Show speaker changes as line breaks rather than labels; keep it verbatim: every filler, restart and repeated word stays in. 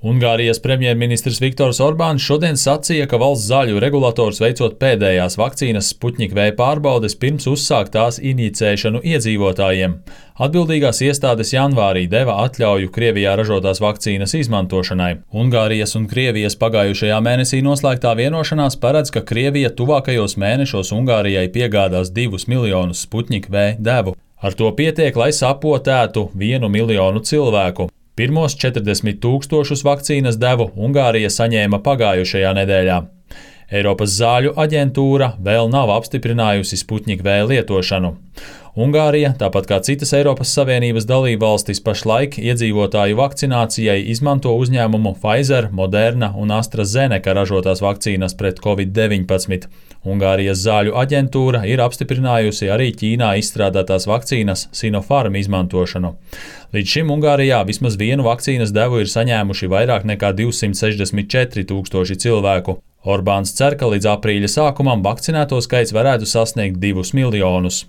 Ungārijas premjerministrs Viktors Orbāns šodien sacīja, ka valsts zāļu regulators veicot pēdējās vakcīnas Sputnik V pārbaudes pirms uzsākt tās inicēšanu iedzīvotājiem. Atbildīgās iestādes janvārī deva atļauju Krievijā ražotās vakcīnas izmantošanai. Ungārijas un Krievijas pagājušajā mēnesī noslēgtā vienošanās paredz, ka Krievija tuvākajos mēnešos Ungārijai piegādās divus miljonus Sputnik V devu. Ar to pietiek, lai sapotētu vienu miljonu cilvēku. Pirmos četrdesmit tūkstošus vakcīnas devu Ungārija saņēma pagājušajā nedēļā. Eiropas zāļu aģentūra vēl nav apstiprinājusi Sputnik V lietošanu. Ungārija, tāpat kā citas Eiropas Savienības dalībvalstis, pašlaik iedzīvotāju vakcinācijai izmanto uzņēmumu Pfizer, Moderna un AstraZeneca ražotās vakcīnas pret covid deviņpadsmit. Ungārijas zāļu aģentūra ir apstiprinājusi arī Ķīnā izstrādātās vakcīnas Sinopharm izmantošanu. Līdz šim Ungārijā vismaz vienu vakcīnas devu ir saņēmuši vairāk nekā divsimt sešdesmit četri tūkstoši cilvēku. Orbāns cer, ka līdz aprīļa sākumam vakcinēto skaits varētu sasniegt divus miljonus.